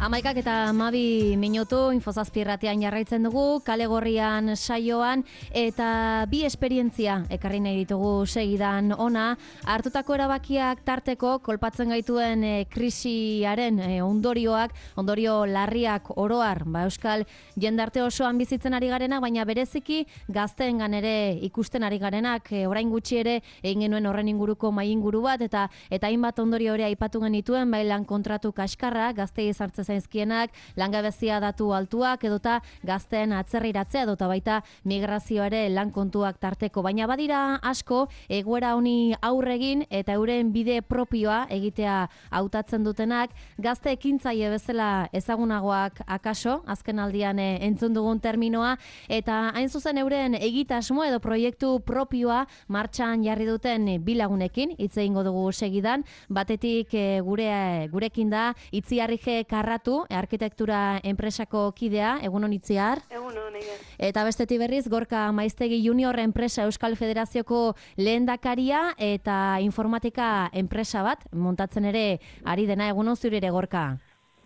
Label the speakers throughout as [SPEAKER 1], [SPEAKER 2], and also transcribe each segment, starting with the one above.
[SPEAKER 1] Amaikak eta Mabi minutu Infozazpi irratian jarraitzen dugu, Kale Gorrian saioan, eta bi esperientzia ekarri nahi ditugu segidan ona. Hartutako erabakiak tarteko kolpatzen gaituen krisiaren ondorio larriak oroar, Euskal jendarte osoan bizitzen ari garenak, baina bereziki gazteengan ere ikusten ari garenak, orain gutxi ere egin genuen horren inguruko mahai inguru bat, eta hainbat ondorio hori aipatu genituen, bai lan kontratu kaskarra, gaztei sartzen zaizkienak, langabezia datu altuak, edota gazteen atzerriratzea, edota baita migrazioa ere lan kontuak tarteko. Baina badira asko, egoera honi aurregin eta euren bide propioa egitea hautatzen dutenak, gazte ekintzaile bezala ezagunagoak akaso, azken aldian entzun dugun terminoa, eta hain zuzen euren egitasmo edo proiektu propioa martxan jarri duten bilagunekin, hitz egingo dugu segidan, batetik gurekin da Itziar Ige Karratu, arkitektura enpresako kidea, egunon Itziar.
[SPEAKER 2] Egunon, Eider.
[SPEAKER 1] Eta bestetik berriz, Gorka Maiztegi Junior enpresa Euskal Federazioko lehendakaria eta informatika enpresa bat, montatzen ere ari dena, egunon zure ere Gorka.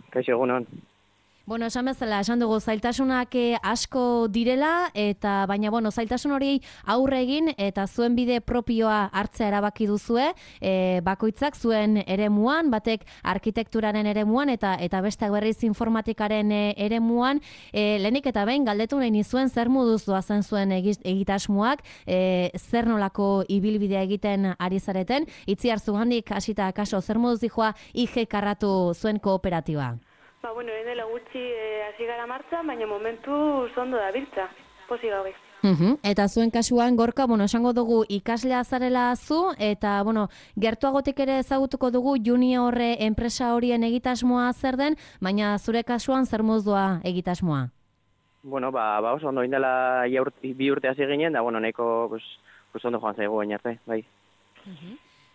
[SPEAKER 2] Kaixo, egunon.
[SPEAKER 1] Bueno, esan bezala, esan dugu zailtasunak asko direla, baina zailtasun hori aurre egin eta zuen bide propioa hartzea erabaki duzue, bakoitzak zuen eremuan, batek arkitekturaren eremuan eta besteak berriz informatikaren eremuan, lehenik eta behin galdetu nahi nizuen zer moduz doazen zuen egitasmoak, zer nolako ibilbidea egiten ari zareten, Itziar zugandik hasita kaso zer moduz dijoa Ige Karratu zuen kooperatiba.
[SPEAKER 2] Dela gutxi hasi gara martxan, baina momentu ondo da biltza, posi gabe.
[SPEAKER 1] Eta zuen kasuan, Gorka, esango dugu ikaslea zarela zu, eta, gertuagotik ere ezagutuko dugu junior enpresa horien egitasmoa zer den, baina zure kasuan zer moduz doa egitasmoa?
[SPEAKER 2] Oso ondo indela bi urte hasi ginen, da, nahiko ondo joan zaigu baina arte, bai.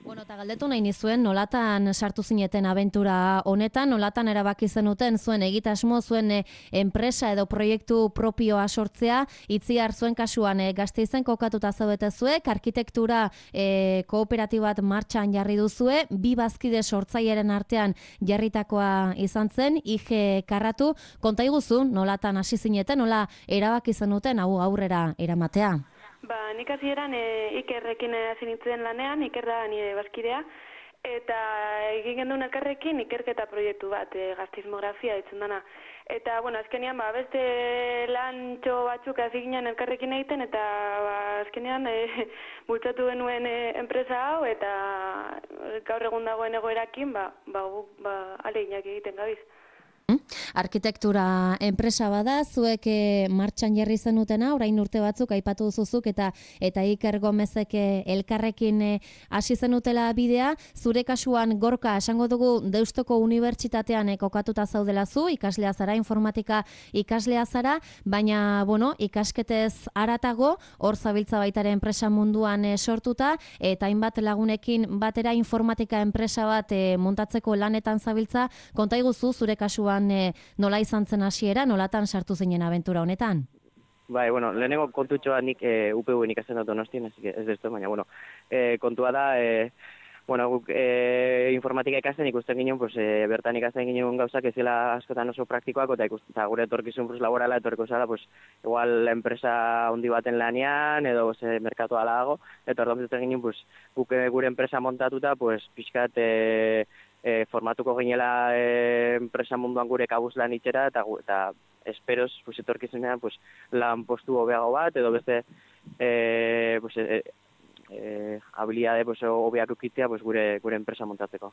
[SPEAKER 1] Eta galdetu nahi nizuen, nolatan sartu zineten abentura honetan, nolatan erabaki zenuten zuen egitasmo, zuen enpresa edo proiektu propioa sortzea, Itziar zuen kasuan Gasteizen kokatuta zaudete zuek, arkitektura kooperatibat martxan jarri duzue, bi bazkide sortzailearen artean jarritakoa izan zen, Ige Karratu, konta iguzu, nolatan hasi zineten, nola erabaki zenuten hau aurrera eramatea?
[SPEAKER 2] Nik hasieran Ikerrekin hasi nintzen lanean, Iker da nire bazkidea, eta egin genduen elkarrekin ikerketa proiektu bat, gazteizmografia ditzen dana. Eta, azkenean, beste lantxo batzuk hasi ginen elkarrekin egiten, eta azkenean bultzatu genuen enpresa hau, eta gaur egun dagoen egoerakin, aleinak egiten gabiz.
[SPEAKER 1] Arkitektura enpresa bada, zuek martxan jarri zenutena, orain urte batzuk aipatu duzuzuk eta Iker Gomezek elkarrekin hasi zenutela bidea. Zure kasuan, Gorka, esango dugu Deustoko Unibertsitatean kokatuta zaudela zu, ikaslea zara, informatika ikaslea zara, baina, ikasketez haratago, hor zabiltza baitaren enpresa munduan sortuta, eta hainbat lagunekin batera informatika enpresa bat montatzeko lanetan zabiltza, konta iguzu zure kasuan nola izan zen hasiera, nolatan sartu zinen abentura honetan?
[SPEAKER 2] Lehenengo kontutxoa nik UPV-en ikasten dut Donostien, ez destu, baina, kontua da, guk informatika ikasten ikusten ginen, bertan ikasten ginen gauzak ez dela askotan oso praktikoak, eta gure etorkizun laborala etorriko zara, igual enpresa handi baten lanean, edo merkatu ala dago, eta orduan zuten ginen, guk gure enpresa montatuta, pixkat formatuko ginela enpresa munduan gure kabuz lan itxera, eta esperoz, etorkizunean, lan postu hobeago bat, edo beste habilidade hobeak ukitzea gure enpresa montatzeko.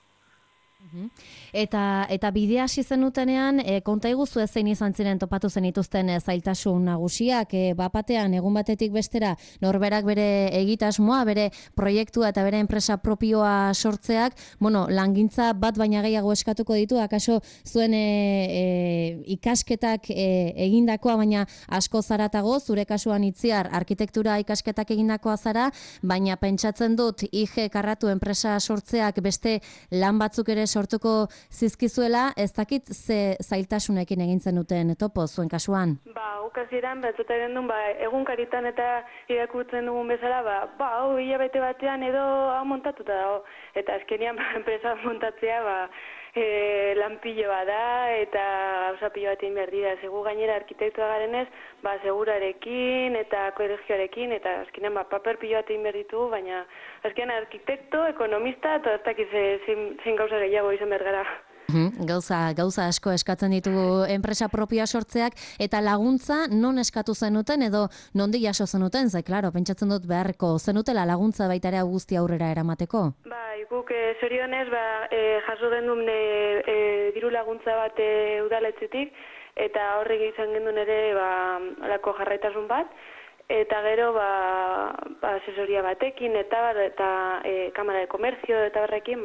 [SPEAKER 1] Eta bidea hasi zenutenean, konta iguzu zein izan ziren topatu zenituzten zailtasun nagusiak, bapatean, egun batetik bestera, norberak bere egitasmoa, bere proiektua eta bere enpresa propioa sortzeak, langintza bat baina gehiago eskatuko ditu, akaso zuen ikasketak egindakoa, baina asko zaratago, zure kasuan Itziar, arkitektura ikasketak egindakoa zara, baina pentsatzen dut Ige Karratu enpresa sortzeak beste lan batzuk ere sortuko zizkizuela, ez dakit ze zailtasunekin egin zenuten topo zuen kasuan?
[SPEAKER 2] Ukazieran, batzuten duen, egunkaritan eta irakurtzen dugun bezala, hilabete batean edo hau montatuta dago. Eta azkenean enpresa montatzea,
[SPEAKER 3] lanpiloa da eta gauza pilo bat egin behar dira. Segu gainera arkitektua garenez, segurarekin eta kolegioarekin eta azkenean paper pilo bat egin behar ditugu, baina azkenean arkitekto, ekonomista eta ez dakiz zein gauza gehiago izan behar gara.
[SPEAKER 1] Gauza asko eskatzen ditugu enpresa propioa sortzeak, eta laguntza non eskatu zenuten edo nondi jaso zenuten, klaro, pentsatzen dut beharko zenutela laguntza baita ere guzti aurrera eramateko?
[SPEAKER 3] Bai, guk zorionez jaso gendun diru laguntza bat udaletzetik, eta horrek izan gendun ere alako jarraitasun bat, eta gero asesoria batekin eta Kamara de Komerzio eta barrekin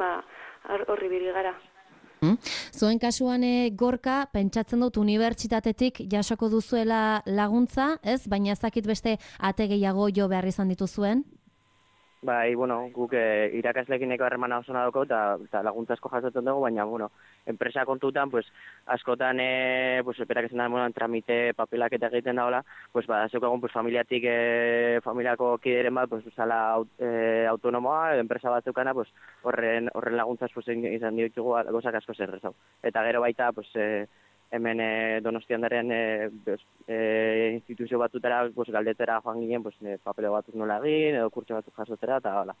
[SPEAKER 3] horri biri gara.
[SPEAKER 1] Zuen kasuan Gorka, pentsatzen dut unibertsitatetik jasoko duzuela laguntza, ez? Baina ez dakit beste ate gehiago jo behar izan dituzuen?
[SPEAKER 2] Bai, guk irakaslekineko harremana oso nadoko eta laguntza asko jasotzen dugu, baina, enpresa kontutan, askotan, eperak esan da, tramite papelak eta egiten dagoela, zeukagun, familiako kideren bat, zala autonomoa, enpresa bat zeukana, horren laguntzaz izan ditugu gozak asko zerrezau. Eta gero baita, hemen Donostian daren instituzio batutara galdetera joan ginen, papeleo batzuk nola egin, edo kurtso batzuk jasotera, eta hala.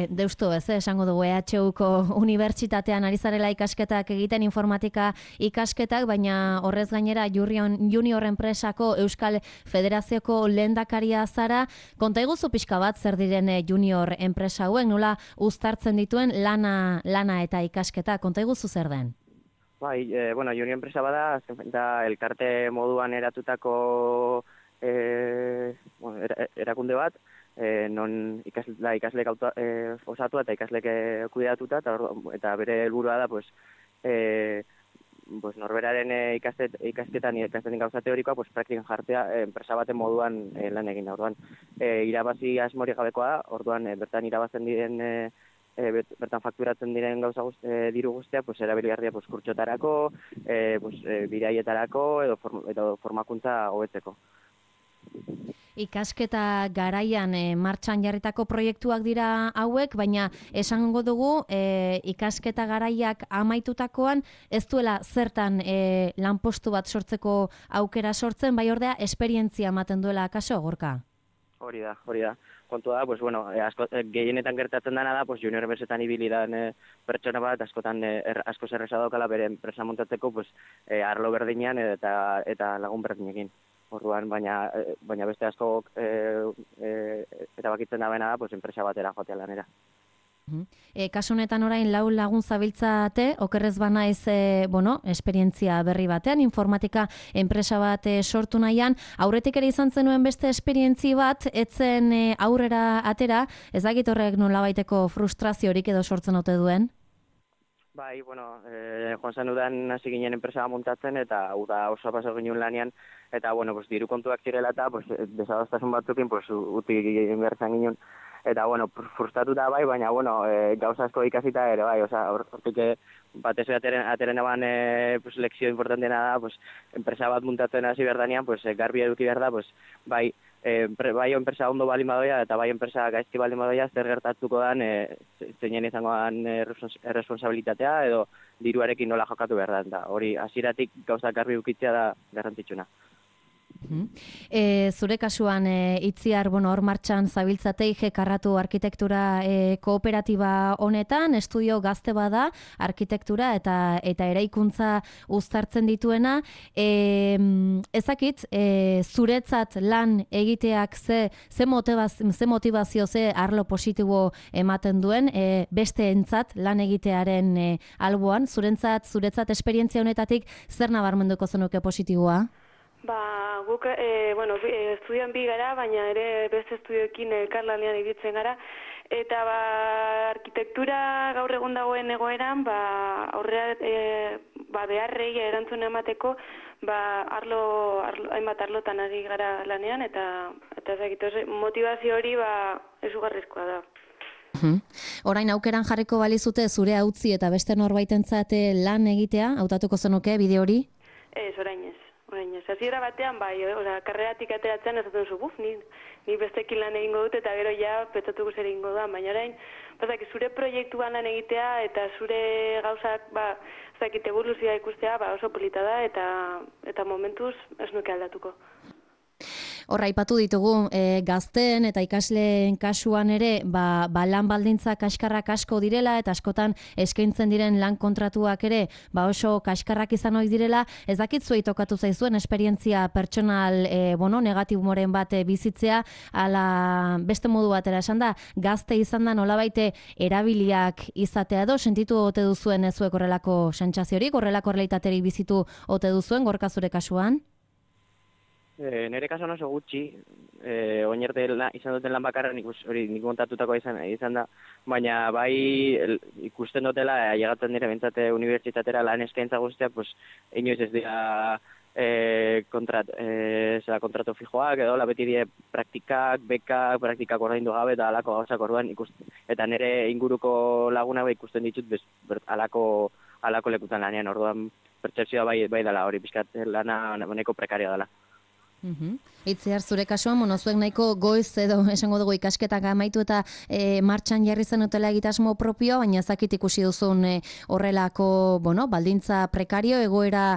[SPEAKER 1] Deustu, esango dugu EHUko unibertsitatean ari zarela ikasketak egiten, informatika ikasketak, baina horrez gainera Junior enpresako Euskal Federazioko lehendakaria zara. Konta iguzu pixka bat zer diren Junior enpresa hauen, nola uztartzen dituen lana eta ikasketa, konta iguzu zer den?
[SPEAKER 2] Bai, Junior enpresa bada, azken da elkarte moduan eratutako erakunde bat, non ikasleek osatu eta ikasleek kuidatuta, eta bere helburua da, norberaren ikasketan gauza teorikoa, praktikan jartzea enpresa baten moduan lan egin. Orduan, irabazi asmori gabekoa, orduan bertan irabazten diren bertan fakturatzen diren gauza diru guztiak, erabiligarria kurtsotarako, biraietarako edo formakuntza hobetzeko.
[SPEAKER 1] Ikasketa garaian martxan jarritako proiektuak dira hauek, baina esango dugu ikasketa garaiak amaitutakoan ez duela zertan lanpostu bat sortzeko aukera sortzen, bai ordea esperientzia ematen duela akaso, Gorka?
[SPEAKER 2] Hori da. Kontua da, gehienetan gertatzen dena da, junior enpresetan ibili dan pertsona bat, askotan asko zerreza daukala bere enpresa montatzeko arlo berdinean eta lagun berdinekin. Orduan, baina beste asko erabakitzen da bena da, enpresa batera joatea lanera.
[SPEAKER 1] Kasu honetan orain lagun zabiltzate, okerrez banaiz esperientzia berri batean, informatika enpresa bat sortu nahian, aurretik ere izan zenuen beste esperientzi bat, etzen aurrera atera, ez dakit horrek nolabaiteko frustraziorik edo sortzen ote duen?
[SPEAKER 2] Bai, joan zen udan hasi ginen enpresa montatzen, eta uda oso paso ginen lanean, eta, diru kontuak zirela eta, desadostasun batzukin, uti behar zan ginen. Eta, frustratu da bai, baina, gauza asko ikasita ere, bai, hortik batez ateren eban lekzio importantena da, enpresa bat muntatzen hasi behar danean, garbi eduki behar da, bai enpresa ondo baldin badoia, eta bai enpresa gaizki baldin badoia, zer gertatuko dan, zeinen izango dan erresponsabilitatea, edo diruarekin nola jokatu behar da. Hori, hasieratik gauza garbi edukitzea da garrantzitsuna.
[SPEAKER 1] Zure kasuan Itziar, hor martxan zabiltzate IG Karratu arkitektura kooperatiba honetan, estudio gazte bada arkitektura eta eraikuntza uztartzen dituena. Ezakit, zuretzat lan egiteak ze motivazio, ze arlo positibo ematen duen, beste entzat lan egitearen alboan, zuretzat esperientzia honetatik zer nabarmenduko zenuke positiboa?
[SPEAKER 3] Guk, estudioan bi gara, baina ere beste estudioekin elkarlanean ibiltzen gara, eta arkitektura gaur egun dagoen egoeran, aurrera beharrei erantzun emateko, hainbat arlotan ari gara lanean, eta motivazio hori ezugarrizkoa da.
[SPEAKER 1] Orain aukeran jarriko balizute zure hautzi eta beste norbaitentzat lan egitea, hautatuko zenuke bide hori?
[SPEAKER 3] Ez, orain ez. Orain, hasiera batean bai, karreratik ateratzen esaten zu, ni bestekin lan egingo dut eta gero ja pentsatuko zer egingo da, baina orain, zure proiektuan lan egitea eta zure gauzak, evoluzioa ikustea, oso polita da eta momentuz ez nuke aldatuko.
[SPEAKER 1] Horra, aipatu ditugu, gazteen eta ikasleen kasuan ere, lan baldintza kaskarrak asko direla eta askotan eskaintzen diren lan kontratuak ere, oso kaskarrak izan ohi direla. Ez dakit zuei tokatu zaizuen esperientzia pertsonal negatiboren bat bizitzea, ala beste modu batera esan da, gazte izan da nolabait erabiliak izatea edo, sentitu ote duzuen zuek horrelako sentsaziorik, horrelako realitaterik bizitu ote duzuen, Gorka zure kasuan?
[SPEAKER 2] Nire kasuan oso gutxi, oinerte izan duten lan bakarra, nik kontatutako izan da, baina bai ikusten dutela, llegatzen dire bentsate unibertsitatera lan eskaintza guztia, inoiz ez dira kontratu fijoak, edo beti die praktikak ordaindu gabe, eta alako gauzak orduan eta nire inguruko lagunak ikusten ditut alako lekutan lanean, orduan pertsepzioa bai dela hori, pixkat lana neko prekaria dela.
[SPEAKER 1] Itziar, zure kasuan, zuek nahiko goiz edo esango dugu ikasketak amaitu eta martxan jarri zenutela egitasmo propioa, baina ezakit ikusi duzun horrelako, baldintza prekario, egoera,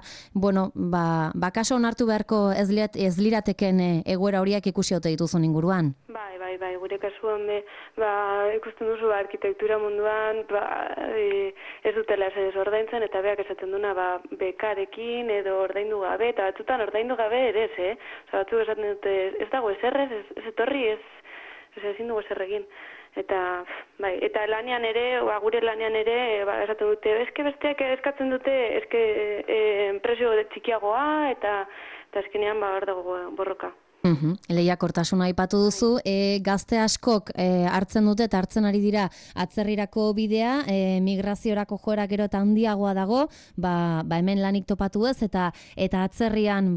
[SPEAKER 1] kaso onartu beharko ez lirateken egoera horiak ikusi ote dituzun inguruan?
[SPEAKER 3] Bai, gure kasuan ikusten duzu arkitektura munduan ez dutela ez ordaintzen eta beak esaten duna bekarekin edo ordaindu gabe, eta batzutan ordaindu gabe ere ez, batzuk esaten dute ez dago eserrez, ez etorri, ez ezin dugu eserregin. Eta lanean ere, gure lanean ere, esaten dute, besteak eskatzen dute, presio txikiagoa eta azkenean hor dago borroka.
[SPEAKER 1] Lehiakortasuna aipatu duzu, gazte askok hartzen dute eta hartzen ari dira atzerrirako bidea, migraziorako joera gero eta handiagoa dago, hemen lanik topatu ez, eta atzerrian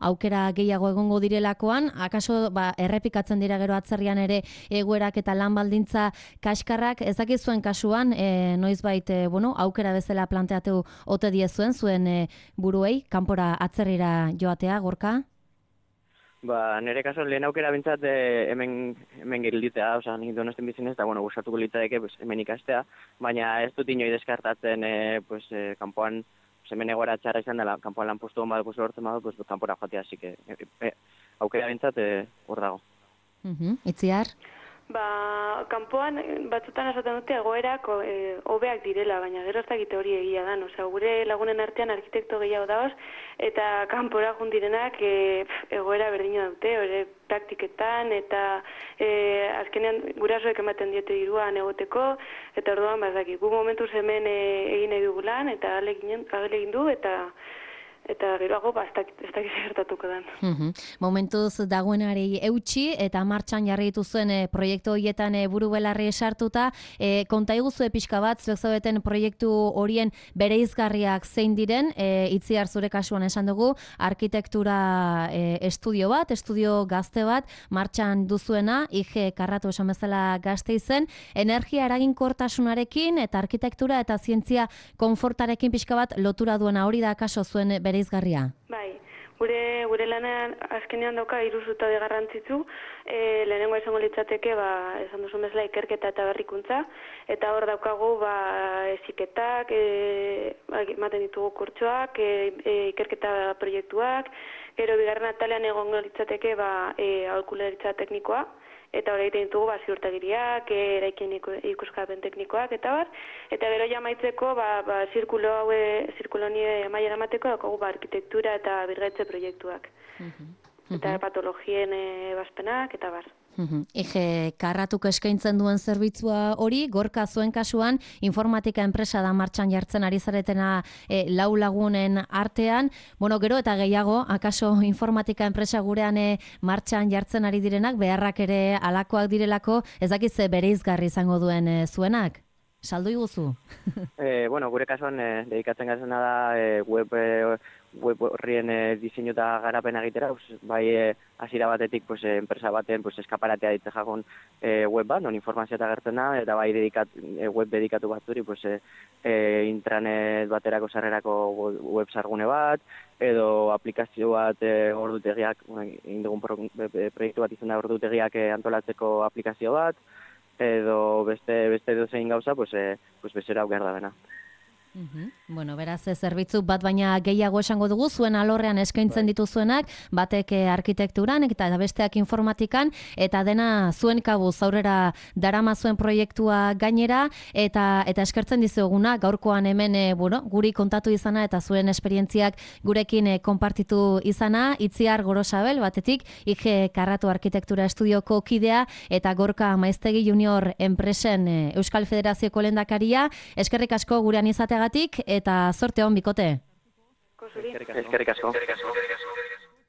[SPEAKER 1] aukera gehiago egongo direlakoan, akaso errepikatzen dira gero atzerrian ere egoerak eta lan baldintza kaskarrak, ez dakit zuen kasuan, noizbait aukera bezala planteatu ote diezuen zuen buruei, kanpora atzerrira joatea, Gorka?
[SPEAKER 2] Nire kaso lehen aukera bintzat hemen gilditea, nik Donostian bizinez, eta gustatuko litzateke hemen ikastea, baina ez dut inoi deskartatzen kanpoan, hemen egoera txarra izan dela, kanpoan lan postu hon bat lortzen badu, kanpora joatea, así que aukera bintzat hor dago.
[SPEAKER 1] Itziar?
[SPEAKER 3] Kanpoan batzutan esaten dute egoerak hobeak direla, baina gero ez dakite hori egia da. Gure lagunen artean arkitekto gehiago daoz, eta kanpora jundirenak egoera berdina dute, hori praktiketan, eta azkenean gurasoek ematen diete diruan egoteko, eta orduan gu momentuz hemen egin nahi dugu lan, eta egin du, eta geroago ez dakiz gertatuko den.
[SPEAKER 1] Momentuz dagoenari eutxi eta martxan jarri dituzuen proiektu horietan buru belarri esartuta, konta iguzu pixka bat, zuek zaudeten proiektu horien bereizgarriak zein diren, Itziar zure kasuan esan dugu, arkitektura estudio gazte bat, martxan duzuena, IG Karratu esan bezala Gasteizen, energia eraginkortasunarekin eta arkitektura eta zientzia konfortarekin pixka bat lotura duena, hori da kaso zuen bereizgarria?
[SPEAKER 3] Bai, gure lanean azkenean dauka 3 zutabe garrantzitsu, lehenengoa izango litzateke, esan duzun bezala ikerketa eta berrikuntza, eta hor daukagu heziketak, ematen ditugu kurtsoak, ikerketa proiektuak, gero bigarren atalean egongo litzateke aholkularitza teknikoa, eta hori egiten ditugu ziurtagiriak, eraikin ikuskapen teknikoak, eta gero jamaitzeko zirkulo honi amaiera emateko daukagu arkitektura eta birgaitze proiektuak. Eta patologien ebazpenak, eta bar.
[SPEAKER 1] IG Karratuk eskaintzen duen zerbitzua hori, Gorka zuen kasuan, informatika enpresa da martxan jartzen ari zaretena 4 lagunen artean. Gero eta gehiago, akaso informatika enpresa gurean martxan jartzen ari direnak, beharrak ere alakoak direlako, ez dakit ze bereizgarri izango duen zuenak? saldu iguzu.
[SPEAKER 2] Bueno, gure kasuan dedikatzen gazena da web horrien diseinu eta garapena egitera, bai hasiera batetik enpresa baten eskaparatea ditze jagun web bat, non informazioa eta gertzen da, eta bai web dedikatu batzuri intranet baterako sarrerako web sargune bat, edo aplikazio bat ordutegiak, egin dugun proiektu bat izan da ordutegiak antolatzeko aplikazio bat, edo beste dozein gauza, bezera aukera da bena.
[SPEAKER 1] Bueno, beraz, zerbitzu bat baina gehiago esango dugu, zuen alorrean eskaintzen dituzuenak, batek arkitekturan eta besteak informatikan, eta dena zuen kabuz aurrera darama zuen proiektua gainera, eta eskertzen dizuguna, gaurkoan hemen guri kontatu izana, eta zuen esperientziak gurekin konpartitu izana, Itziar Gorosabel, batetik, IG Karratu Arkitektura Estudioko kidea, eta Gorka Maiztegi Junior enpresen Euskal Federazioko lehendakaria, eskerrik asko gurean izatea eta zorte hon bikote.
[SPEAKER 2] Eskerrik asko.